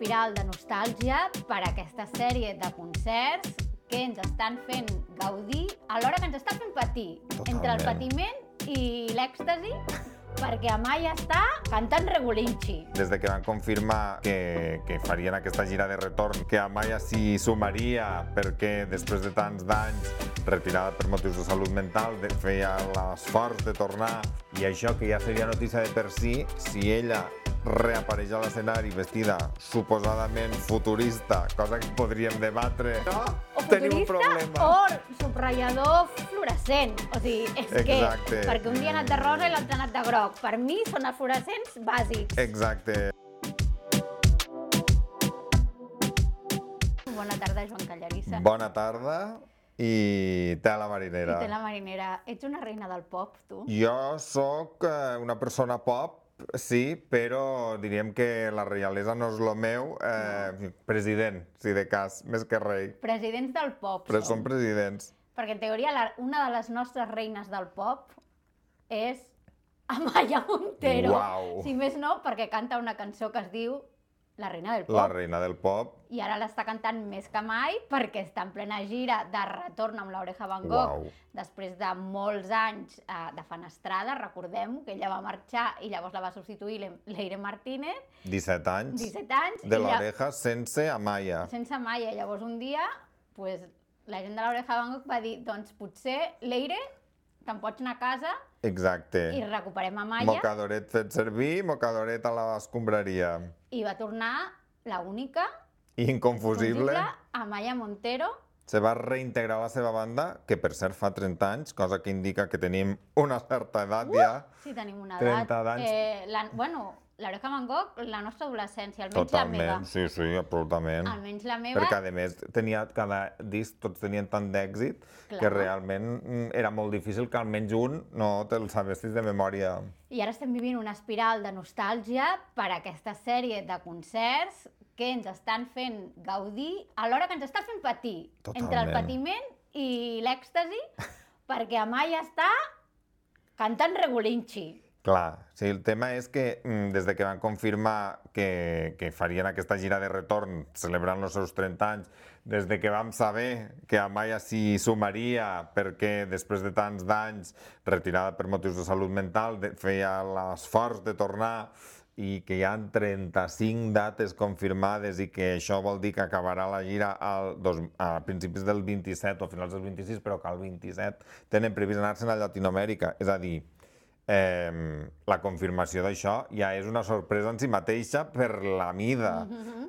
espiral de nostàlgia per aquesta sèrie de concerts que ens estan fent gaudir alhora que ens estan fent patir. Totalment. Entre el patiment i l'èxtasi, perquè Amaya està cantant Regulinchi. Des de que van confirmar que farien aquesta gira de retorn, que Amaya s'hi sumaria perquè després de tants d'anys retirada per motius de salut mental feia l'esforç de tornar, i això que ja seria notícia de per si ella reapareix a l'escenari vestida suposadament futurista, cosa que podríem debatre. No, tenim un problema. O subratllador fluorescent. O sigui, és Exacte. que perquè un dia ha anat de rosa i l'altre ha anat de groc. Per mi són els fluorescents bàsics. Exacte. Bona tarda, Joan Callarissa. Bona tarda i tela marinera. I té la marinera. Ets una reina del pop, tu? Jo sóc una persona pop, sí, però diríem que la reialesa no és lo meu. President, si de cas, més que rei. Presidents del pop. Però som presidents. Perquè en teoria una de les nostres reines del pop és Amaya Montero. Uau. Si més no, perquè canta una cançó que es diu La reina del pop. La reina del pop. I ara l'està cantant més que mai perquè està en plena gira de retorn amb l'Oreja Van Gogh. Uau. Després de molts anys de fenestrada, recordem que ella va marxar i llavors la va substituir Leire Martínez. 17 anys. 17 anys. De l'Oreja sense Amaya. Sense Amaya. Llavors un dia, pues, la gent de l'Oreja Van Gogh va dir, doncs potser, Leire, te'n pots anar a casa. Exacte. I recuperem Amaya. Mocadoret fet servir, mocadoret a l'escombraria. I va tornar la única, Inconfusible. Amaya Montero. Se va reintegrar a la seva banda, que per cert fa 30 anys, cosa que indica que tenim una certa edat ja. Sí, tenim una 30 edat. d'anys. L'Oreja Van Gogh, la nostra adolescència, almenys la meva. Totalment, sí, absolutament. Almenys la meva. Perquè, a més, cada disc tots tenien tant d'èxit que realment era molt difícil que almenys un no te'l sabessis de memòria. I ara estem vivint una espiral de nostàlgia per aquesta sèrie de concerts que ens estan fent gaudir alhora que ens estan fent patir. Totalment. Entre el patiment i l'èxtasi, perquè Amaya està cantant Regulinchi. Clar, sí, el tema és que des de que van confirmar que farien aquesta gira de retorn celebrant els seus 30 anys, des de que vam saber que Amaya s'hi sumaria perquè després de tants d'anys retirada per motius de salut mental feia l'esforç de tornar, i que hi ha 35 dates confirmades i que això vol dir que acabarà la gira a principis del 27 o finals del 26, però que al 27 tenen previst anar-se'n a Llatinoamèrica. És a dir, la confirmació d'això ja és una sorpresa en si mateixa per la mida.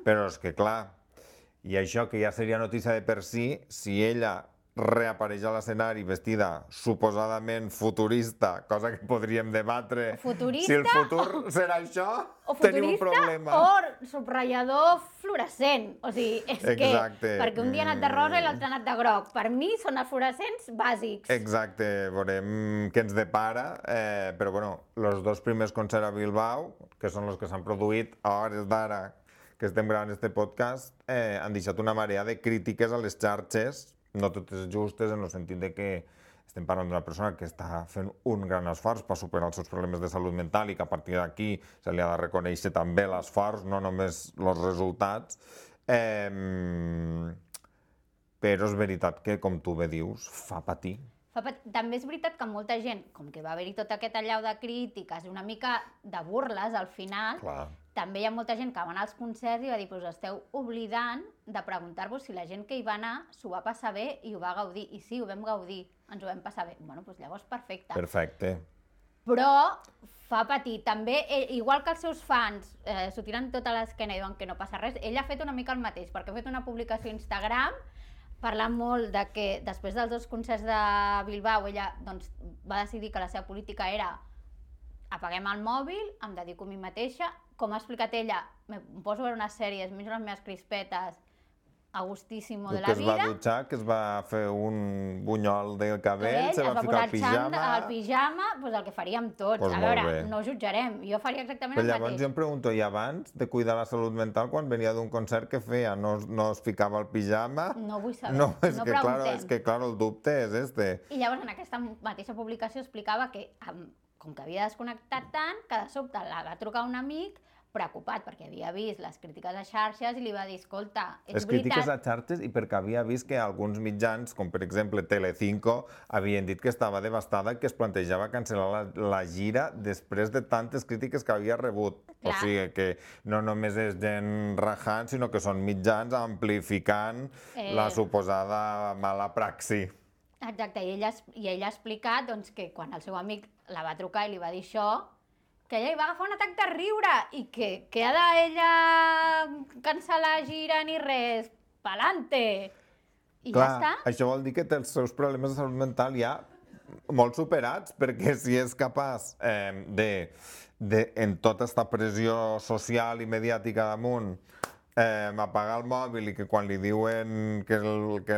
Però és que, clar, i això que ja seria notícia de per si ella reapareix a l'escenari vestida suposadament futurista, cosa que podríem debatre. Futurista, si el futur serà això, tenim un problema. O subratllador fluorescent. O sigui, és Exacte. que perquè un dia ha anat de rosa i l'altre ha anat de groc. Per mi són els fluorescents bàsics. Exacte, veurem què ens depara, però bueno, els dos primers concerts a Bilbao, que són els que s'han produït a hores d'ara que estem gravant este podcast, han deixat una marea de crítiques a les xarxes, no totes justes, en el sentit de que estem parlant d'una persona que està fent un gran esforç per superar els seus problemes de salut mental i que a partir d'aquí se li ha de reconèixer també l'esforç, no només els resultats. Però és veritat que, com tu bé dius, fa patir. També és veritat que molta gent, com que va haver-hi tot aquest allau de crítiques i una mica de burles al final, Clar. també hi ha molta gent que va anar als concerts i va dir, us esteu oblidant de preguntar-vos si la gent que hi va anar s'ho va passar bé i ho va gaudir. I sí, ho vam gaudir, ens ho vam passar bé. Bueno, doncs llavors perfecte. Perfecte. Però fa patir. També, igual que els seus fans s'ho tiren tot a l'esquena i diuen que no passa res, ella ha fet una mica el mateix, perquè ha fet una publicació a Instagram parlant molt de que després dels dos concerts de Bilbao ella doncs, va decidir que la seva política era apaguem el mòbil, em dedico a mi mateixa. Com ha explicat ella, em poso a veure unes sèries, menjo les meves crispetes, a gustíssimo de la vida. Que es va dutxar, que es va fer un bunyol de cabell, se va ficar el pijama. El pijama, doncs el que faríem tots. Pues a veure, molt bé. no jutjarem, jo faria exactament Però el llavors mateix. jo em pregunto, i abans de cuidar la salut mental, quan venia d'un concert, què feia? No es ficava el pijama? No vull saber, No, és no que, preguntem. claro, el dubte és este. I llavors en aquesta mateixa publicació explicava que com que havia desconnectat tant, que de sobte la va trucar un amic preocupat perquè havia vist les crítiques a xarxes i li va dir, escolta, és Les crítiques a veritat... xarxes i perquè havia vist que alguns mitjans, com per exemple Telecinco, havien dit que estava devastada i que es plantejava cancel·lar la gira després de tantes crítiques que havia rebut. O sigui que no només és gent rajant, sinó que són mitjans amplificant la suposada mala praxi. Exacte, i ell ha explicat doncs, que quan el seu amic la va trucar i li va dir això, que ella hi va agafar un atac de riure i que ha d'ella cancel·lar gira ni res, pa'lante. I Clar, ja està. això vol dir que té els seus problemes de salut mental ja molt superats, perquè si és capaç en tota aquesta pressió social i mediàtica damunt, apagar el mòbil i que quan li diuen que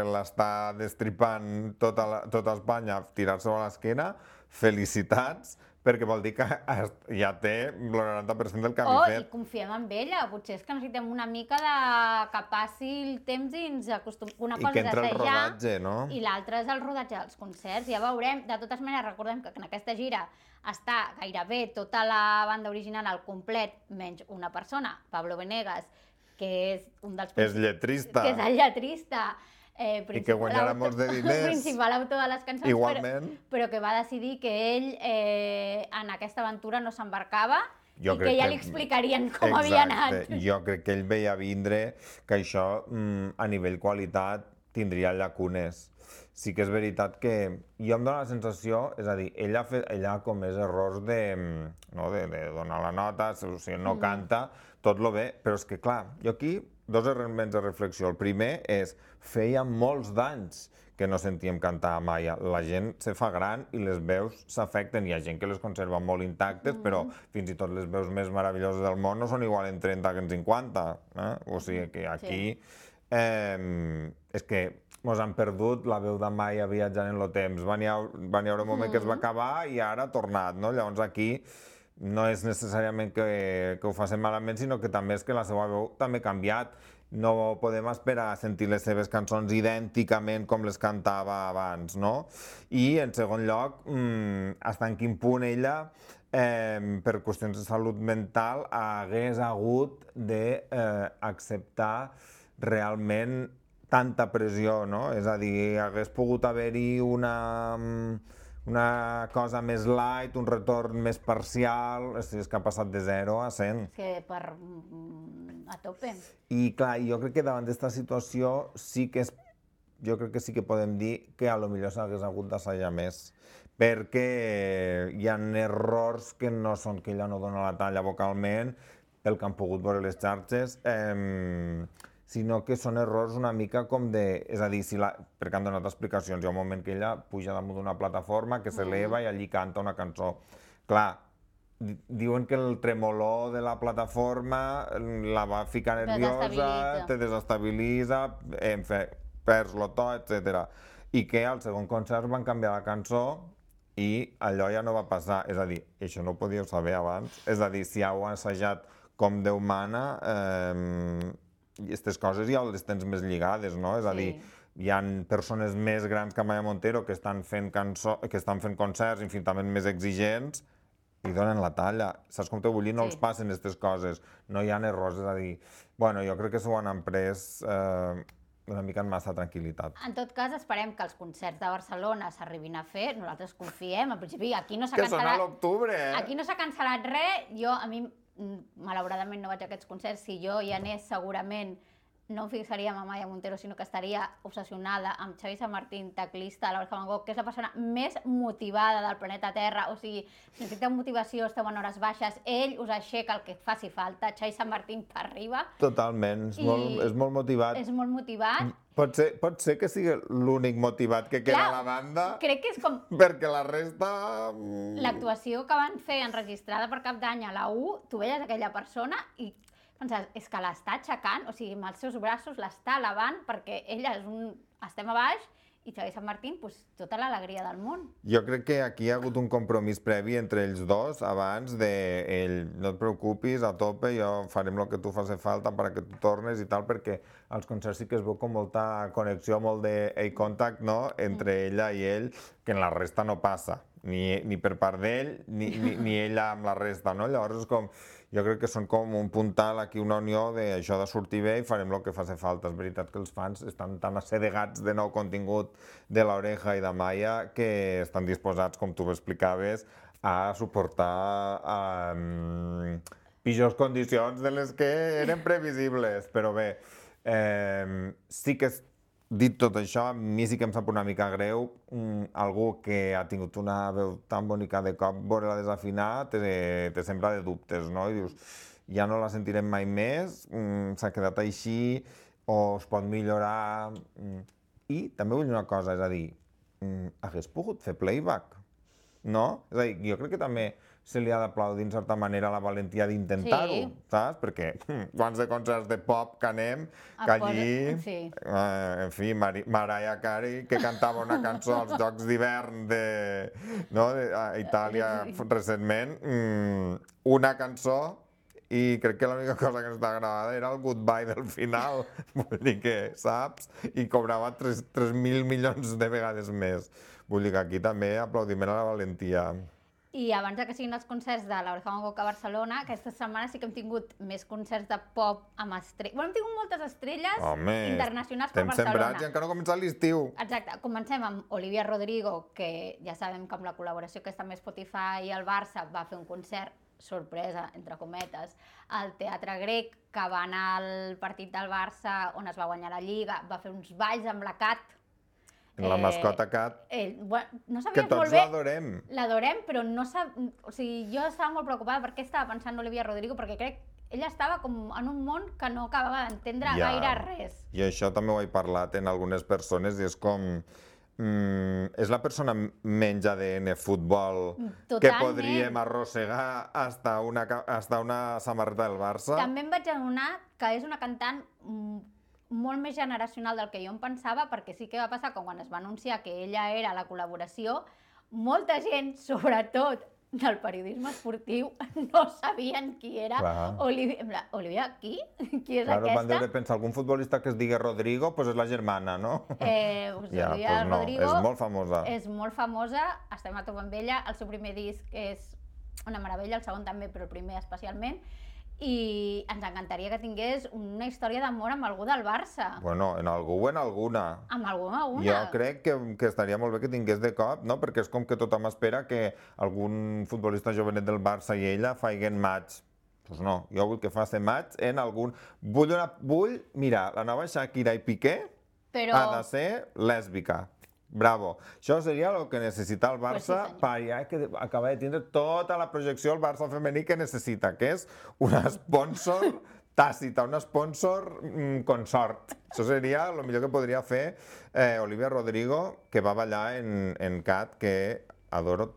l'està destripant tota Espanya, tirar-se a l'esquena, felicitats, perquè vol dir que ja té el 90% del camí fet. I confiem en ella, potser és que necessitem una mica de que passi el temps i ens acostumem. Una cosa que és entre el assajar rodatge, no? I l'altra és el rodatge dels concerts, ja veurem. De totes maneres, recordem que en aquesta gira està gairebé tota la banda original al complet, menys una persona, Pablo Venegas, que és un dels... És lletrista. Que és el lletrista. I que guanyarà molts de diners. Principal autor de les cançons. Igualment. Però que va decidir que ell en aquesta aventura no s'embarcava i que ja li explicarien com havia anat. Jo crec que ell veia vindre que això a nivell qualitat tindria llacunes. Sí que és veritat que jo em dóna la sensació, és a dir, ella ha comès errors de donar la nota, o sigui, no canta, tot lo bé, però és que clar, jo aquí dos elements de reflexió. El primer és, feia molts d'anys que no sentíem cantar a Maia. La gent se fa gran i les veus s'afecten. Hi ha gent que les conserva molt intactes, però fins i tot les veus més meravelloses del món no són igual en 30 que en 50. O sigui que aquí és que mos han perdut la veu de Maia viatjant en el temps. Va n'hi haure un moment que es va acabar i ara ha tornat, no? Llavors aquí no és necessàriament que ho facin malament, sinó que també és que la seva veu també ha canviat. No podem esperar a sentir les seves cançons idènticament com les cantava abans, no? I, en segon lloc, fins en quin punt ella, per qüestions de salut mental, hagués hagut d'acceptar realment tanta pressió, no? És a dir, hagués pogut haver-hi una cosa més light, un retorn més parcial, és que ha passat de 0 a 100. És que a tope. I clar, jo crec que davant d'aquesta situació jo crec que sí que podem dir que a lo millor s'hagués hagut d'assajar més, perquè hi ha errors que no són que ella no dona la talla vocalment, pel que han pogut veure les xarxes, sinó que són errors una mica com de... És a dir, perquè han donat explicacions. Hi ha un moment que ella puja damunt d'una plataforma, que s'eleva i allí canta una cançó. Clar, diuen que el tremolor de la plataforma la va ficar nerviosa, te desestabilitza, perds lo to, etc. I que al segon concert van canviar la cançó i allò ja no va passar. És a dir, això no ho podíeu saber abans. És a dir, si heu assajat com Déu mana, aquestes coses ja les tens més lligades, no? És a dir, hi ha persones més grans que Amaya Montero que estan fent concerts infinitament més exigents i donen la talla. Saps com t'ho vull dir? No els passen aquestes coses. No hi ha errors, és a dir... Bueno, jo crec que s'ho han pres una mica amb massa tranquil·litat. En tot cas, esperem que els concerts de Barcelona s'arribin a fer. Nosaltres confiem. En principi, aquí no s'ha cancel·lat... Que són a l'octubre, Aquí no s'ha cancel·lat res. A mi, malauradament, no vaig a aquests concerts. Si jo hi anés, segurament no em fixaria en Amaya Montero, sinó que estaria obsessionada amb Xavi San Martín, teclista de l'Orca Van Gogh, que és la persona més motivada del planeta Terra. O sigui, si necessiteu motivació, esteu en hores baixes, ell us aixeca el que faci falta. Xavi San Martín per arriba. Totalment, és molt motivat. És molt motivat. Pot ser que sigui l'únic motivat que queda a la banda. Crec que és com... Perquè la resta... L'actuació que van fer enregistrada per Cap d'Any a la U, tu veies aquella persona i penses, és que l'està aixecant, o sigui, amb els seus braços l'està elevant perquè ella estem a baix i Xavi San Martín, tota l'alegria del món. Jo crec que aquí hi ha hagut un compromís previ entre ells dos abans de no et preocupis, a tope, jo farem el que tu faci falta perquè tu tornes i tal, perquè als concerts sí que es veu com molta connexió, molt de contact, no?, entre ella i ell, que en la resta no passa. ni per part d'ell, ni ella amb la resta, no? Llavors és com, jo crec que són com un puntal aquí, una unió d'això de sortir bé i farem el que faci falta. És veritat que els fans estan tan assedegats de nou contingut de l'Oreja i de Maya que estan disposats, com tu explicaves, a suportar pitjors condicions de les que eren previsibles, però bé, sí que dit tot això, a mi sí que em sap una mica greu algú que ha tingut una veu tan bonica de cop, veure-la desafinar, te sembra de dubtes, no? I dius, ja no la sentirem mai més, s'ha quedat així, o es pot millorar... I també vull dir una cosa, és a dir, hagués pogut fer playback, no? És a dir, jo crec que també se li ha d'aplaudir en certa manera la valentia d'intentar-ho, saps? Perquè quants de concerts de pop que anem, que allí, en fi, Mariah Carey, que cantava una cançó als Jocs d'hivern a Itàlia recentment, una cançó, i crec que l'única cosa que està gravada era el goodbye del final, vull dir que, saps? I cobrava 3.000 milions de vegades més. Vull dir que aquí també aplaudiment a la valentia. I abans que siguin els concerts de l'Oreja Van Gogh a Barcelona, aquesta setmana sí que hem tingut més concerts de pop amb estrelles. Bueno, hem tingut moltes estrelles internacionals per Barcelona. Estem sembrats i encara no ha començat l'estiu. Exacte. Comencem amb Olivia Rodrigo, que ja sabem que amb la col·laboració que està amb Spotify i el Barça va fer un concert sorpresa, entre cometes, al Teatre Grec, que va anar al partit del Barça on es va guanyar la Lliga, va fer uns balls amb la Cat, la mascota Cat, no que tots l'adorem. L'adorem, però no o sigui, jo estava molt preocupada per què estava pensant Olivia Rodrigo, perquè crec que ella estava com en un món que no acabava d'entendre gaire res. I això també ho he parlat en algunes persones i és com... és la persona menys ADN futbol que podríem arrossegar hasta una samarreta del Barça. També em vaig adonar que és una cantant molt més generacional del que jo em pensava, perquè sí que va passar que quan es va anunciar que ella era la col·laboració, molta gent, sobretot del periodisme esportiu, no sabien qui era Olivia. Olivia, qui? Qui és aquesta? Van deure pensar, algun futbolista que es digui Rodrigo, doncs és la germana, no? Olivia Rodrigo és molt famosa. És molt famosa, estem a top amb ella, el seu primer disc és una meravella, el segon també, però el primer especialment, i ens encantaria que tingués una història d'amor amb algú del Barça. Bueno, en algú o en alguna. Amb algú o en alguna. Jo crec que estaria molt bé que tingués de cop, no? Perquè és com que tothom espera que algun futbolista jovenet del Barça i ella faiguen match. Doncs no, jo vull que faci match en algun... Mira, la nova Shakira i Piqué ha de ser lèsbica. Bravo. Això seria el que necessita el Barça per ja acabar de tindre tota la projecció del Barça femení que necessita, que és una sponsor tàcita, una sponsor consort. Això seria el millor que podria fer Olivia Rodrigo, que va ballar en Cat, que adoro,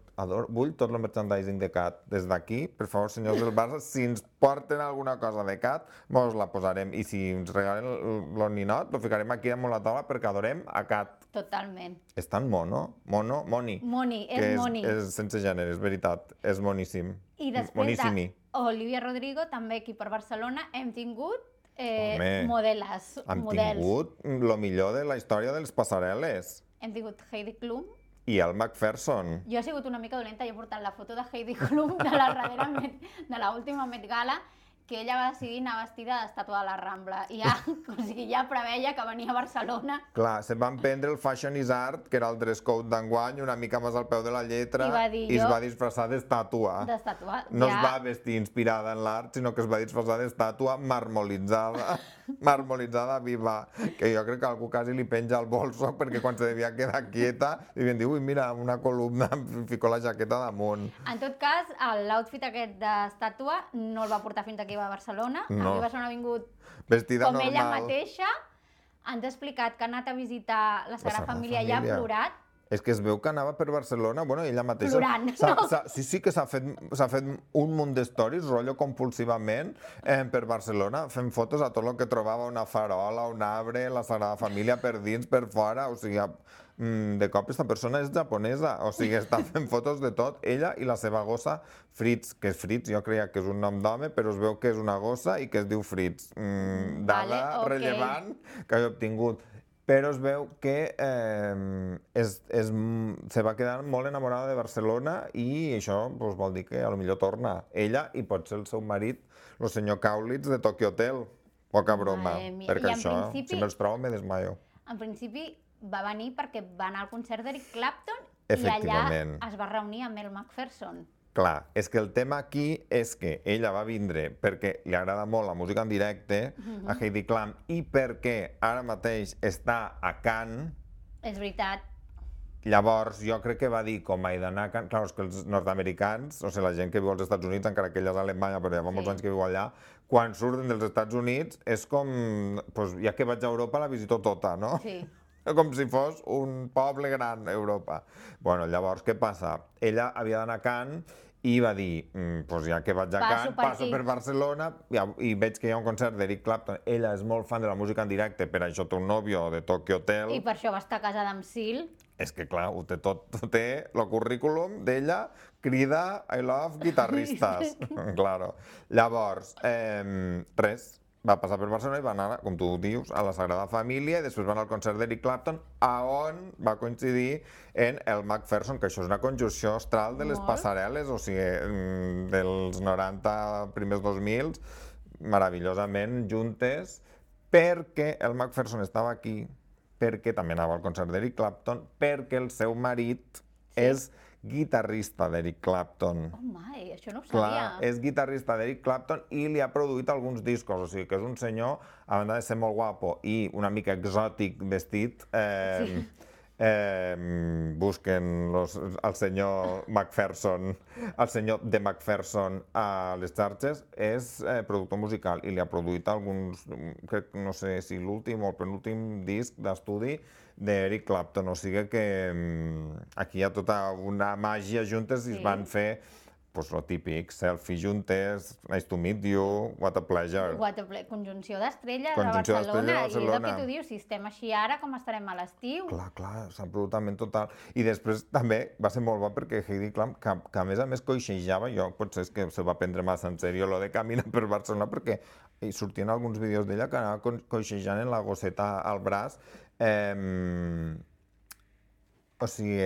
vull tot el merchandising de Cat. Des d'aquí, per favor, senyors del Barça, si ens porten alguna cosa de Cat, mos la posarem. I si ens regalen el ninot, lo ficarem aquí damunt la taula perquè adorem a Cat. Totalment. És tan moni. Moni, és moni. És sense gènere, és veritat. És moníssim. I després d'Olivia Rodrigo, també aquí per Barcelona, hem tingut models. Hem tingut el millor de la història dels passarel·les. Hem tingut Heidi Klum. I el McPherson. Jo he sigut una mica dolenta, jo he portat la foto de Heidi Klum de l'última Met Gala, que ella va decidir anar vestida d'estàtua de la Rambla. I ja preveia que venia a Barcelona. Clar, se'n van prendre el Fashion is Art, que era el dress code d'enguany, una mica més al peu de la lletra, i es va disfressar d'estàtua. No es va vestir inspirada en l'art, sinó que es va disfressar d'estàtua marmolitzada viva. Que jo crec que algú quasi li penja el bolso, perquè quan se devia quedar quieta, li havien dit, ui, mira, una columna, em fico la jaqueta damunt. En tot cas, l'outfit aquest d'estàtua no el va portar fins aquí a Barcelona. Aquí a Barcelona ha vingut com ella mateixa. Ens ha explicat que ha anat a visitar la Sagrada Família i ha plorat. És que es veu que anava per Barcelona, bueno, ella mateixa... Plorant, no? Sí que s'ha fet un munt d'històries, rotllo compulsivament, per Barcelona, fent fotos a tot el que trobava, una farola, un arbre, la Sagrada Família per dins, per fora, o sigui, de cop aquesta persona és japonesa, o sigui, està fent fotos de tot, ella i la seva gossa Fritz, que és Fritz, jo creia que és un nom d'home, però es veu que és una gossa i que es diu Fritz. Dada rellevant que he obtingut. però es veu que se va quedar molt enamorada de Barcelona i això doncs, vol dir que potser torna. Ella i pot ser el seu marit, el senyor Kaulitz de Tokyo Hotel. Poca broma, perquè això, si me'ls trobo, me desmaio. En principi va venir perquè va anar al concert d'Eric Clapton i allà es va reunir amb el McPherson. Clar, és que el tema aquí és que ella va vindre perquè li agrada molt la música en directe a Heidi Klum i perquè ara mateix està a Cannes. És veritat. Llavors, jo crec que va dir, com he d'anar a Cannes... Clar, és que els nord-americans, o sigui, la gent que viu als Estats Units, encara que ella és a Alemanya, però ja fa molts anys que viu allà, quan surten dels Estats Units és com... Doncs ja que vaig a Europa la visito tota, no? Sí. Com si fos un poble gran, Europa. Bueno, llavors, què passa? Ella havia d'anar a Cannes i va dir, doncs ja que vaig a Cannes, passo per Barcelona i veig que hi ha un concert d'Eric Clapton. Ella és molt fan de la música en directe, per això té un nòvio de Tokyo Hotel. I per això va estar casada amb Seal. És que, clar, ho té tot. Té el currículum d'ella, crida I love guitarristes. Claro. Llavors, res. Va passar per Barcelona i va anar, com tu dius, a la Sagrada Família i després va anar al concert d'Eric Clapton, on va coincidir en el McPherson, que això és una conjunció astral de les passarel·les, o sigui, dels 90, primers 2000, meravellosament juntes, perquè el McPherson estava aquí, perquè també anava al concert d'Eric Clapton, perquè el seu marit és guitarrista d'Eric Clapton. Oh my, això no ho sabia. sabia. És guitarrista d'Eric Clapton i li ha produït alguns discos, o sigui que és un senyor, a banda de ser molt guapo i una mica exòtic vestit, busquen el senyor McPherson, el senyor de McPherson a les xarxes, és productor musical i li ha produït alguns, crec, no sé si l'últim o el penúltim disc d'estudi d'Eric Clapton, o sigui que aquí hi ha tota una màgia juntes i es van fer pues lo típic, selfie juntes, nice to meet you, what a pleasure. Conjunció d'estrelles a Barcelona, i és el que tu dius, si estem així ara, com estarem a l'estiu? Clar, és absolutament total. I després també va ser molt bo perquè Heidi Klum, que a més coixejava, jo potser és que se va prendre massa en sèrio lo de caminar per Barcelona, perquè hi sortien alguns vídeos d'ella que anava coixejant en la gosseta al braç. O sigui,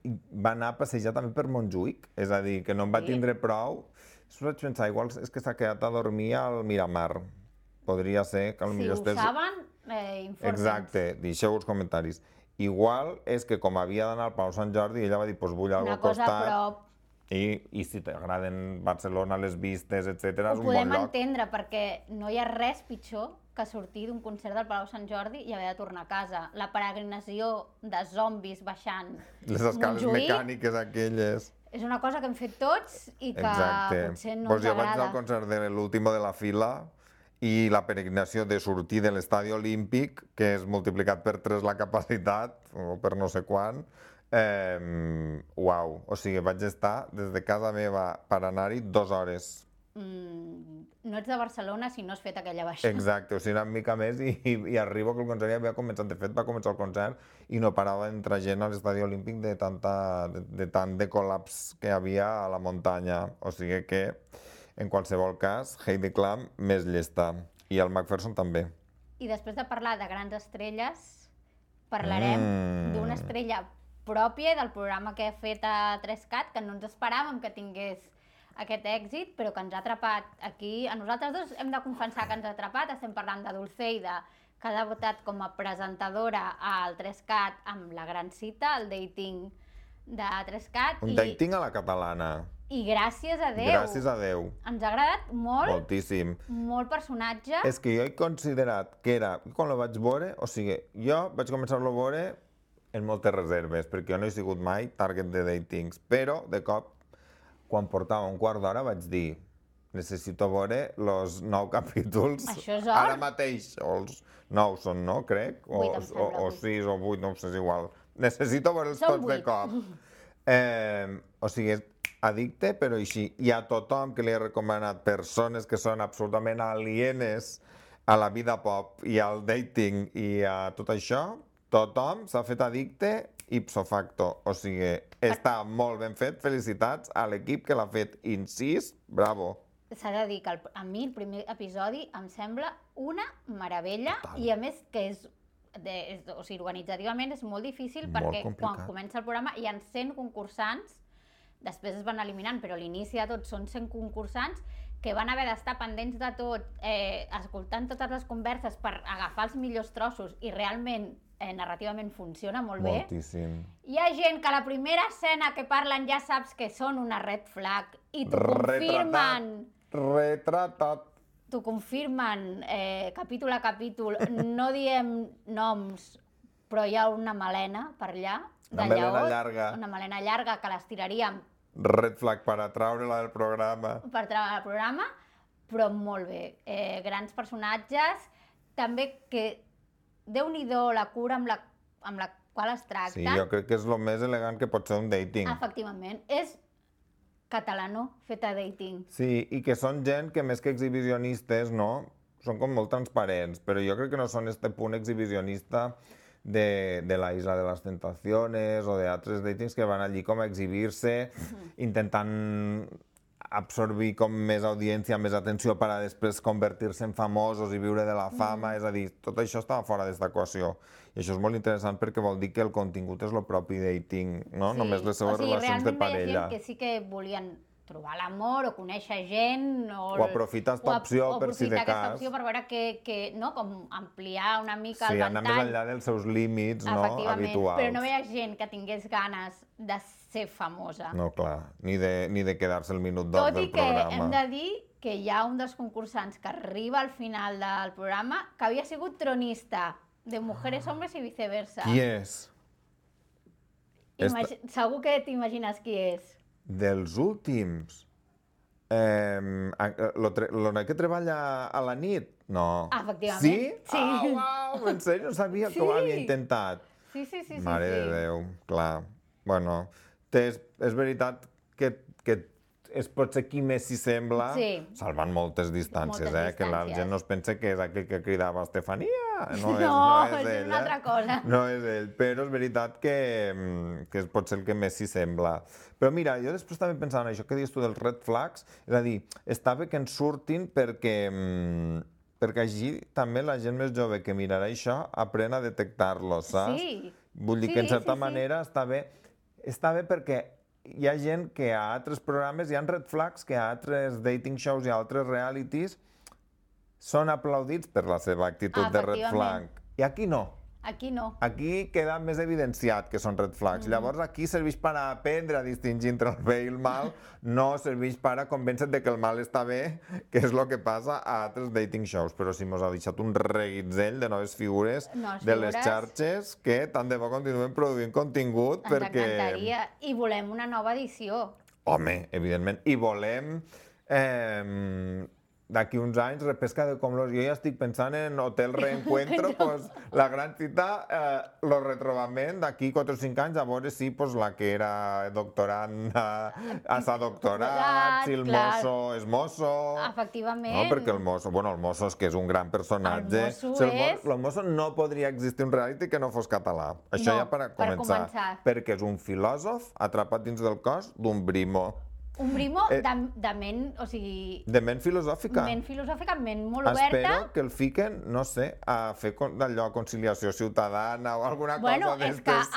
va anar a passejar també per Montjuïc, és a dir, que no en va tindre prou. Vaig pensar, igual és que s'ha quedat a dormir al Miramar. Podria ser que potser estés... Si ho saben, informants. Exacte, deixeu els comentaris. Igual és que com havia d'anar al Palau Sant Jordi, ella va dir, doncs vull alguna cosa al costat. Una cosa a prop. I si t'agraden Barcelona, les vistes, etc., és un bon lloc. Ho podem entendre, perquè no hi ha res pitjor que sortir d'un concert del Palau Sant Jordi i haver de tornar a casa. La peregrinació de zombis baixant les escales mecàniques aquelles. És una cosa que hem fet tots i que potser no ens agrada. Jo vaig anar al concert de l'último de la fila i la peregrinació de sortir de l'estadi olímpic, que és multiplicat per 3 la capacitat, o per no sé quant, uau, o sigui, vaig estar des de casa meva per anar-hi 2 hores. No ets de Barcelona si no has fet aquella baixada. Exacte, o sigui, una mica més i arribo que el concert ja havia començat. De fet, va començar el concert i no parava d'entrar gent a l'estadi olímpic de tant de col·laps que hi havia a la muntanya. O sigui que, en qualsevol cas, Heidi Klum més llesta. I el McPherson també. I després de parlar de grans estrelles, parlarem d'una estrella pròpia del programa que ha fet a 3CAT, que no ens esperàvem que tingués aquest èxit, però que ens ha atrapat aquí. A nosaltres dos hem de confessar que ens ha atrapat. Estem parlant de Dulceida, que ha debutat com a presentadora al 3CAT amb La Gran Cita, el dating de 3CAT. Un dating a la catalana. I gràcies a Déu. Gràcies a Déu. Ens ha agradat molt. Moltíssim. Molt personatge. És que jo he considerat que era, quan lo vaig veure, o sigui, jo vaig començar-lo a veure en moltes reserves, perquè jo no he sigut mai target de datings, però de cop, quan portava un quart d'hora, vaig dir, necessito veure els 9 capítols. Això és or. Ara mateix, o els 9 són, no? Crec, o 6 o 8, no ho sé, és igual. Necessito veure'ls tots de cop. O sigui, és addicte, però així. I a tothom que li he recomanat persones que són absolutament alienes a la vida pop i al dating i a tot això, tothom s'ha fet addicte ipso facto. O sigui, està molt ben fet. Felicitats a l'equip que l'ha fet incís. Bravo. S'ha de dir que a mi el primer episodi em sembla una meravella. Total. I a més que és o sigui, organitzativament és molt difícil Molt perquè complicat. quan comença el programa hi ha 100 concursants, després es van eliminant, però a l'inici de tot són 100 concursants que van haver d'estar pendents de tot, escoltant totes les converses per agafar els millors trossos i realment narrativament funciona molt bé. Moltíssim. Hi ha gent que a la primera escena que parlen ja saps que són una red flag i t'ho confirmen. Retratat. T'ho confirmen capítol a capítol. No diem noms, però hi ha una melena per allà. Una melena llarga. Una melena llarga que l'estiraríem Red flag per atraure-la del programa. per treure el programa, però molt bé. Grans personatges, també que Déu-n'hi-do la cura amb la qual es tracta. Sí, jo crec que és el més elegant que pot ser un dating. Efectivament, és catalano fet a dating. Sí, i que són gent que més que exhibicionistes, no? Són com molt transparents, però jo crec que no són este punt exhibicionista de la Isla de las Tentaciones o d'altres datings que van allí com a exhibir-se, intentant absorbir com més audiència, més atenció per a després convertir-se en famosos i viure de la fama, és a dir, tot això estava fora d'esta equació. I això és molt interessant perquè vol dir que el contingut és el propi dating, no? Sí. Només les seves relacions de realment parella. hi ha gent que sí que volien trobar l'amor o conèixer gent O aprofitar aquesta opció per si de aprofitar aquesta cas. opció per veure no? Com ampliar una mica Sí, el anar més ventall. enllà dels seus límits, no? Efectivament, Habituals. però no veia gent que tingués ganes de ser famosa. No, clar, ni de quedar-se el minut d'or Tot i del que programa. hem de dir que hi ha un dels concursants que arriba al final del programa que havia sigut tronista de Mujeres, Hombres i Viceversa. Qui és? Segur que t'imagines qui és. Dels últims? Lo noi que treballa a la nit? No. Efectivament. Sí? Sí. Uau, en sèrio, no sabia que ho Sí. havia intentat. Sí. Mare de Déu, clar. Bueno, és veritat que és potser qui més s'hi sembla, Sí. salvant moltes distàncies, Moltes que la distàncies. gent no es pensa que és aquell que cridava Estefania. No, No, és és ell, una altra cosa. No és ell, però és veritat que és potser el que més s'hi sembla. Però mira, jo després estava pensant en això que dius tu dels red flags, és a dir, està bé que ens surtin perquè així també la gent més jove que mirarà això aprèn a detectar-los, saps? Sí. Vull dir Sí, que en certa sí. manera està bé perquè hi ha gent que a altres programes, hi ha red flags que a altres dating shows i a altres realities són aplaudits per la seva actitud de red flag. I aquí no. Aquí no. Aquí queda més evidenciat que són red flags. Llavors aquí serveix per aprendre a distingir entre el bé i el mal, no serveix per a convèncer de que el mal està bé, que és el que passa a altres dating shows. Però sí, mos ha deixat un reguitzell de noves figures de les xarxes que tant de bo continuen produint contingut Ens perquè... encantaria. I volem una nova edició. Home, evidentment. I volem... d'aquí uns anys, repesca de com los... Jo ja estic pensant en Hotel Reencuentro, pues, la gran cita, lo retrobament d'aquí 4 o 5 anys, a veure si pues, la que era doctorant s'ha doctorat, si el mosso és mosso... Efectivament. No, perquè el mosso és que és un gran personatge. El mosso El mosso no podria existir un reality que no fos català. Això No, ja per per començar. Perquè és un filòsof atrapat dins del cos d'un brimo. Un brimo de ment, o sigui... De ment filosòfica. Ment filosòfica, ment molt oberta. Espero que el fiquen, no sé, a fer d'allò conciliació ciutadana o alguna cosa d'estes,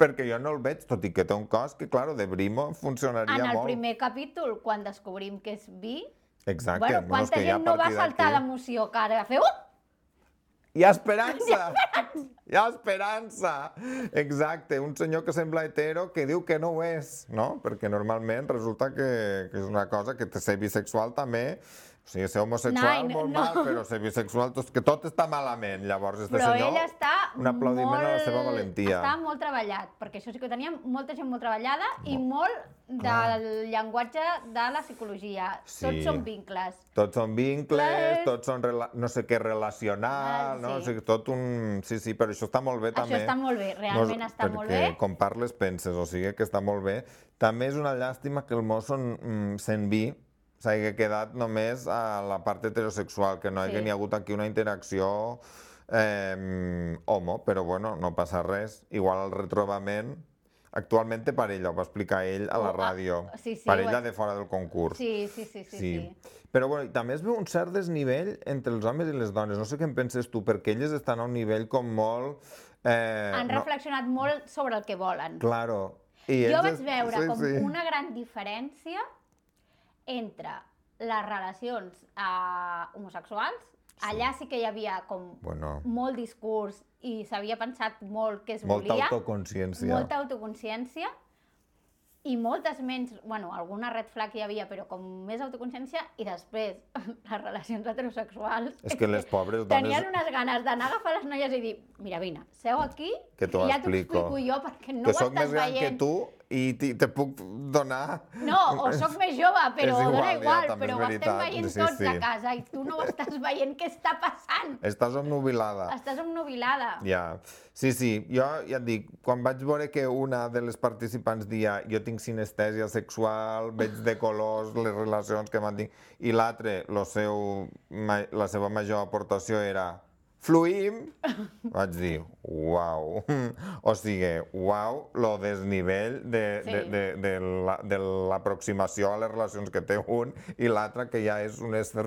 perquè jo no el veig, tot i que té un cos que, claro, de brimo funcionaria molt. En el primer capítol, quan descobrim que és bi, exacte. Bueno, quanta gent no va saltar d'emoció, que ara va fer... Hi ha esperança! Hi ha esperança! Exacte, un senyor que sembla hetero que diu que no ho és, no? Perquè normalment resulta que és una cosa que ser bisexual també, o sigui, ser homosexual molt mal, però ser bisexual, que tot està malament. Llavors, este senyor, però ell està un aplaudiment a la seva valentia. Està molt treballat, perquè això sí que teníem molta gent molt treballada i molt del llenguatge de la psicologia. Sí. Tots són vincles. Tots són vincles, tots són no sé què relacional, no? O sigui, tot un... Sí, però això està molt bé també. Això està molt bé, realment està molt bé. Perquè com parles penses, o sigui que està molt bé. També és una llàstima que el mosso sent vi s'hagi quedat només a la part heterosexual, que no hagi ni hagut aquí una interacció homo, però bueno, no passa res. Igual al retrobament actualment té parella, ho va explicar ell a la ràdio. Sí, Parella de fora del concurs. Sí. Però bueno, també es veu un cert desnivell entre els homes i les dones. No sé què en penses tu, perquè elles estan a un nivell com molt... Han reflexionat molt sobre el que volen. Claro. Jo vaig veure com una gran diferència entre les relacions homosexuals. Allà sí que hi havia com molt discurs i s'havia pensat molt què es volia. Molta autoconsciència. Molta autoconsciència i moltes menys, bueno, alguna red flag hi havia, però com més autoconsciència, i després les relacions heterosexuals... És que les pobres dones... Tenien unes ganes d'anar a agafar les noies i dir, mira, vine, seu aquí i ja t'ho explico jo perquè no ho estàs veient. Que soc més gran que tu i te puc donar... No, o soc més jove, però dona igual, però ho estem veient tots a casa i tu no ho estàs veient què està passant. Estàs obnubilada. Estàs obnubilada. Ja, sí, jo ja et dic, quan vaig veure que una de les participants dia jo tinc sinestèsia sexual, veig de colors les relacions que mantinc, i l'altre, la seva major aportació era fluïm, vaig dir, uau, o sigui, uau, lo desnivell de l'aproximació a les relacions que té un i l'altre que ja és un ésser,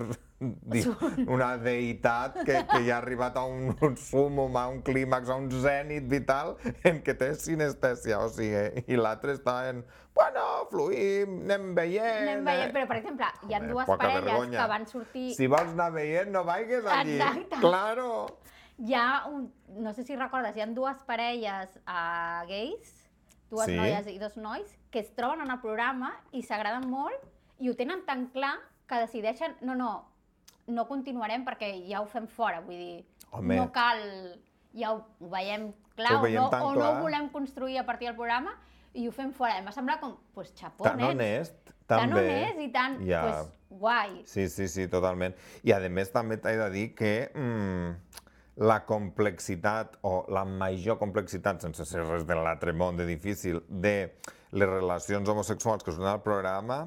una deïtat que ja ha arribat a un súmum, a un clímax, a un zènit vital en què té sinestèsia, o sigui, i l'altre està en, bueno, fluïm, anem veient... Anem veient, però per exemple, hi ha dues parelles que van sortir... Si vols anar veient, no vaigues allí. Exacte. Claro. Hi ha no sé si recordes, hi ha dues parelles gais, dues noies i dos nois, que es troben en el programa i s'agraden molt i ho tenen tan clar que decideixen, no continuarem perquè ja ho fem fora, vull dir, no cal, ja ho veiem clar o no ho volem construir a partir del programa i ho fem fora. Em va semblar com, pues xapó, tan honest, tan honest i tan, pues, guai. Sí, totalment. I a més també t'he de dir que la complexitat o la major complexitat, sense ser res de l'altre món de difícil, de les relacions homosexuals que surten al programa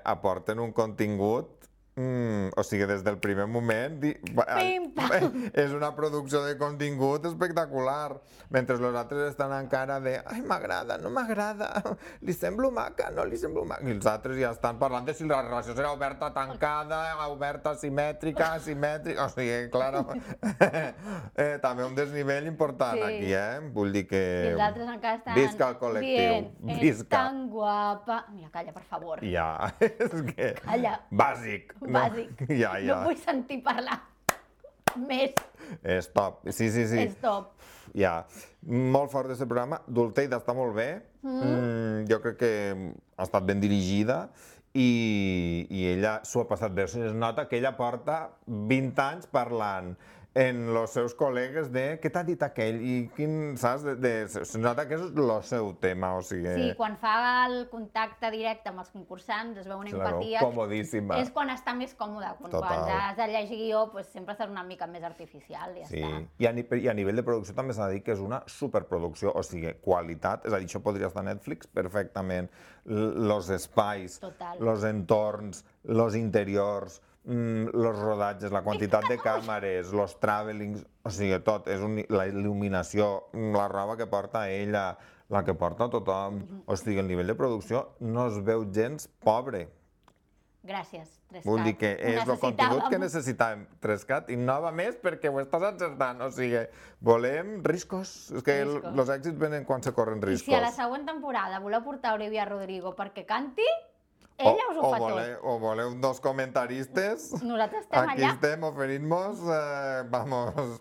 aporten un contingut, o sigui, des del primer moment és una producció de contingut espectacular, mentre els altres estan encara de ai, m'agrada, no m'agrada, li semblo maca, no li semblo maca, i els altres ja estan parlant de si la relació serà oberta, tancada, oberta, simètrica, o sigui, clar, també un desnivell important aquí, vull dir que... I els altres encara estan... Visca el col·lectiu, visca. És tan guapa... Mira, calla, per favor. Ja, és que... Calla. Bàsic. Bàsic. No vull sentir parlar més. És top, sí. És top. Ja, molt fort d'aquest programa. Dulceida està molt bé. Jo crec que ha estat ben dirigida i ella s'ho ha passat bé. Es nota que ella porta 20 anys parlant en els seus col·legues de què t'ha dit aquell i quin, saps? Es nota que és el seu tema, o sigui... Sí, quan fa el contacte directe amb els concursants es veu una empatia... Comodíssima. És quan està més còmode. Quan has de llegir guió, sempre serà una mica més artificial i ja està. I a nivell de producció també s'ha de dir que és una superproducció, o sigui, qualitat, és a dir, això podria estar a Netflix perfectament. Los espais, los entorns, los interiors... los rodatges, la quantitat de càmeres, los travelings, o sigui, tot, és la il·luminació, la roba que porta ella, la que porta tothom, o sigui, el nivell de producció no es veu gens pobre. Gràcies, 3CAT. Vull dir que és el contingut que necessitàvem, 3CAT, i nova més perquè ho estàs encertant, o sigui, volem riscos, és que els èxits venen quan se corren riscos. I si a la següent temporada voleu portar Olivia Rodrigo perquè canti, ella us ho fa tot. O voleu dos comentaristes? Nosaltres estem allà. Aquí estem, oferint-nos, vamos,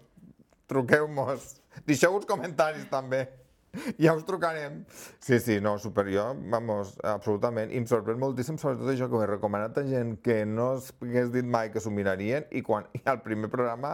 truqueu-nos. Deixeu uns comentaris també. Ja us trucarem. Sí, no, superior, vamos, absolutament. I em sorprèn moltíssim, sobretot això, que ho he recomanat a gent que no hagués dit mai que s'ho mirarien i quan al primer programa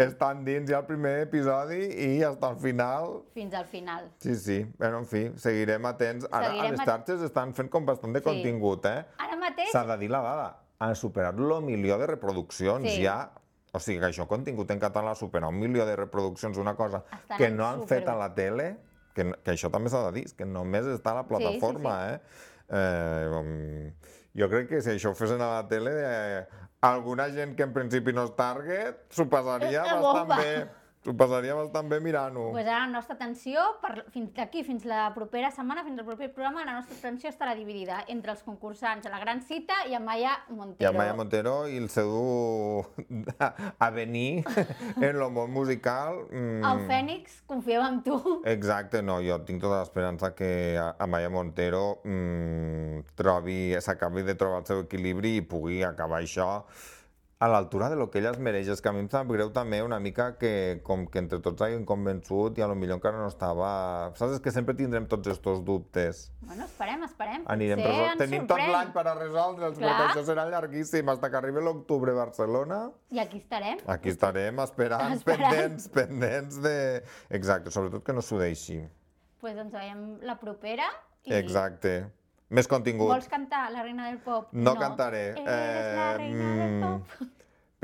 estan dins ja el primer episodi i hasta al final... Fins al final. Sí, bueno, en fi, seguirem atents. Ara a les xarxes estan fent com bastant de contingut, Ara mateix... S'ha de dir la dada, han superat l'1 milió de reproduccions ja. O sigui que això, contingut en català, superar 1 milió de reproduccions d'una cosa que no han fet a la tele... Que això també s'ha de dir, que només està a la plataforma, Jo crec que si això ho fessin a la tele, alguna gent que en principi no és target s'ho passaria bastant bé. Ho passaria bastant bé mirant-ho. Pues ara la nostra atenció, fins d'aquí, fins la propera setmana, fins al proper programa, la nostra atenció estarà dividida entre els concursants a la gran cita i Amaya Montero. I Amaya Montero i el seu avenir en el món musical. El Fènix, confiem en tu. Exacte, no, jo tinc tota l'esperança que Amaya Montero s'acabi de trobar el seu equilibri i pugui acabar això a l'altura de lo que ella es mereix. És que a mi em sap greu també una mica que com que entre tots hagin convençut i a lo millor encara no estava... Saps? És que sempre tindrem tots estos dubtes. Bueno, esperem. Tenim tot l'any per a resoldre'ls, perquè això serà llarguíssim, fins que arribi l'octubre a Barcelona. I aquí estarem. Aquí estarem esperant. Pendents de... Exacte, sobretot que no s'ho deixi. Pues ens veiem la propera. Exacte. Més contingut. Vols cantar La reina del pop? No cantaré. Eres la reina del pop.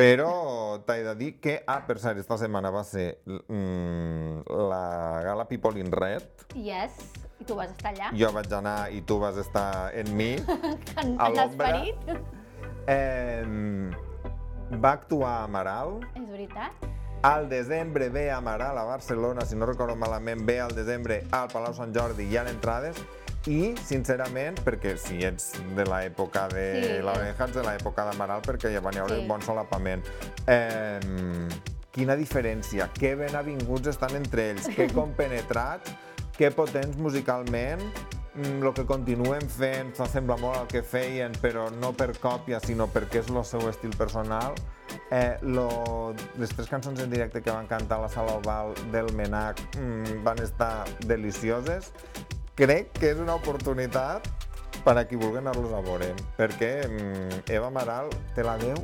Però t'he de dir que, per cert, esta setmana va ser la gala People in Red. Yes, i tu vas estar allà. Jo vaig anar i tu vas estar en mi, a l'ombra. Va actuar Amaral. És veritat. Al desembre ve Amaral a Barcelona, si no recordo malament, ve al desembre al Palau Sant Jordi, hi ha entrades. I, sincerament, perquè si ets de l'època de l'Oreja, ets de l'època d'Amaral, perquè ja van haver un bon solapament. Quina diferència, que ben avinguts estan entre ells, que compenetrats, que potents musicalment, el que continuen fent s'assembla molt al que feien, però no per còpia, sinó perquè és el seu estil personal. Les 3 cançons en directe que van cantar a la Sala Oval del Menac van estar delicioses. Crec que és una oportunitat per a qui vulgui anar-los a veure, perquè Eva Amaral té la veu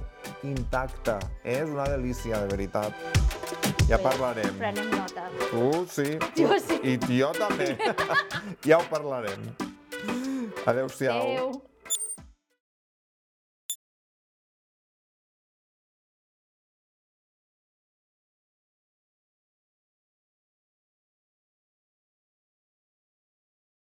intacta. És una delícia, de veritat. Ja parlarem. Prenem nota. Tu sí. Jo sí. I jo també. Ja ho parlarem. Adéu-siau. Adéu.